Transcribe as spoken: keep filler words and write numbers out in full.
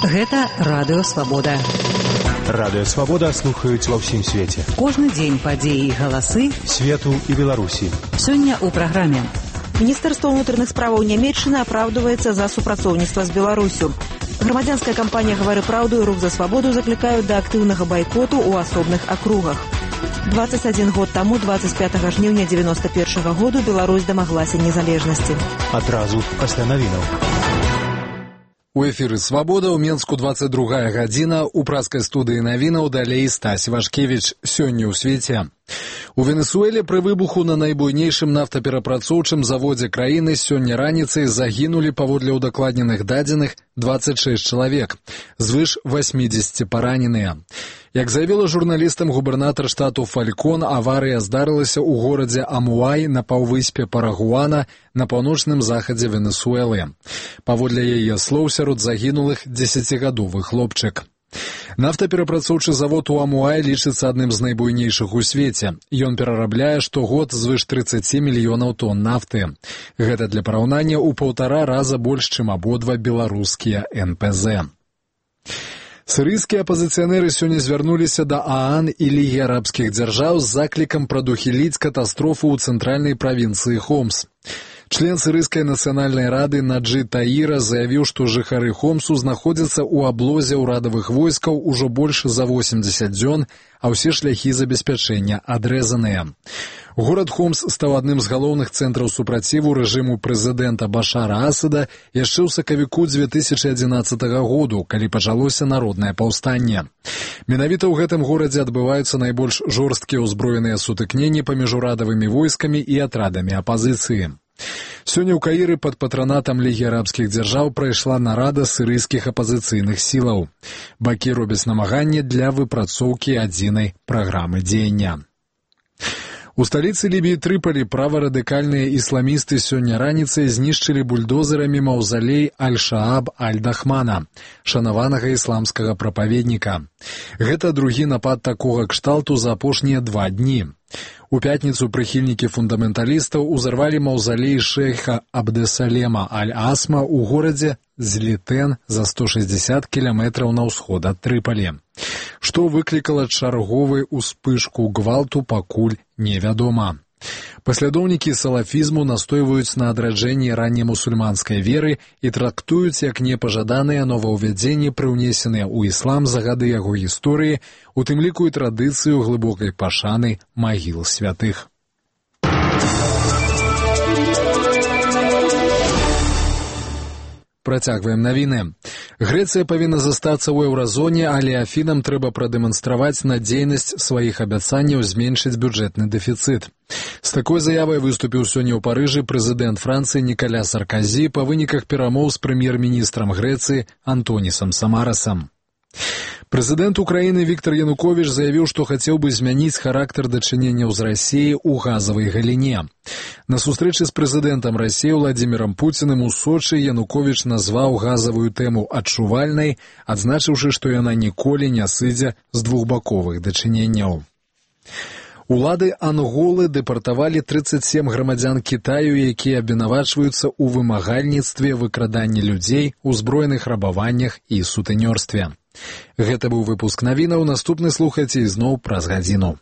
Гэта Радыё Свабода. Радыё Свабода слухаюць ва ўсім свеце. Кожны дзень падзеі і галасы свету і Беларусі. Сёння ў праграме. Міністэрства ўнутраных справаў Нямецчыны апраўдваецца за супрацоўніцтва з Беларусю. Грамадзянская кампанія «Гавары праўду» і «Рух за свабоду» заклікаюць да актыўнага байкоту ў асобных акругах. двадцать один год таму, двадцать пятага жніўня девяносто першага году, Беларусь дамаглася незалежнасці. Адразу пасля навінаў. У эфіры «Свабода» ў Менску двадцать другая гадзіна. У праскай студыі навінаў далей Стась Вашкевіч. Сёння ў свеце. У Венесуэле пры выбуху на найбуйнейшым нафтаперапрацоўчым заводзе краіны сёння раніцай загінулі, паводле ўдакладненых дадзеных, двадцать шесть чалавек. Звыш восьмидесяти параненыя. Як заявіла журналістам губернатар штату Фалькон, аварыя здарылася ў горадзе Амуай на паўвыспе Парагуана на паўночным захадзе Венесуэлы. Паводле яе слоў, сярод загінулых дзесяцігадовы хлопчык. Нафтаперапрацоўчы завод у Амуай лічыцца адным з найбуйнейшых у свеце. Ён перарабляе штогод звыш тридцать мільёнаў тонн нафты. Гэта для параўнання ў паўтара раза больш, чым абодва беларускія эн пэ зэ. Сірыйскія апазіцыянеры сёння звярнуліся да ААН і Лігі арабскіх дзяржаў з заклікам прадухіліць катастрофу ў цэнтральнай правінцыі Хомс. Член сірыйскай нацыянальнай рады Наджи Таіра заявіў, што жыхары Хомсу знаходзяцца ў аблозе ўрадавых войскаў ужо больш за восемьдесят дзён, а ўсе шляхі забеспячэння адрэзаныя. Горад Хомс стаў адным з галоўных цэнтраў супраціву рэжыму прэзідэнта Башара Асада яшчэ ў сакавіку две тысячы адзінаццатага году, калі пачалося народнае паўстанне. Менавіта ў гэтым горадзе адбываюцца найбольш жорсткія ўзброеныя сутыкненні паміж урадавымі войскамі і атрадамі апазіцыі. Сёння ў Каіры пад патранатам Лігі арабскіх дзяржаў прайшла нарада сірыйскіх апазіцыйных сілаў. Бакі робяць намаганне для выпрацоўкі адзінай праграмы дзеяння. У сталіцы Лібіі Трыполі праварадыкальныя ісламісты сёння раніцай знішчылі бульдозерамі маўзалей Аль-Шааб Аль-Дахмана, шанаванага ісламскага прапаведніка. Гэта другі напад такога кшталту за апошнія два дні. У пятніцу прыхільнікі фундаменталістаў узарвалі маўзалей шэйха Абдесалема Аль-Асма ў горадзе Злітэн за сто шэсцьдзесят кіламетраў на ўсход ад Трыполі. Што выклікала чарговую ўспышку гвалту, пакуль невядома. Паслядоўнікі салафізму настойваюць на адраджэнні раннемусульманскай веры і трактуюць як непажаданыя новаўвядзенні, прыўнесеныя ў іслам за гады яго гісторыі, у тым ліку і традыцыю глыбокай пашаны магіл святых. Працягваем навіны. Грэцыя павінна застацца ў еўразоне, але Афінам трэба прадэманстраваць надзейнасць сваіх абяцанняў зменшыць бюджэтны дэфіцыт. З такой заявай выступіў сёння ў Парыжы прэзідэнт Францыі Нікаля Сарказі па выніках перамоў з прэм'ер-міністрам Грэцыі Антонісам Самарасам. Прэзідэнт Украіны Віктар Януковіч заявіў, што хацеў бы змяніць характар дачыненняў з Расіяй у газавай галіне. На сустрэчы з прэзідэнтам Расіі Владзімірам Пуціным у Сочы Януковіч назваў газавую тэму адчувальнай, адзначыўшы, што яна ніколі не сыдзе з двухбаковых дачыненняў. Улады Анголы дэпартавалі тридцать семь грамадзян Кітаю, якія абвінавачваюцца ў вымагальніцтве, выкраданні людзей, узброеных рабаваннях і сутэнёрстве. Гэта быў выпуск навінаў, наступны слухайце ізноў праз гадзіну.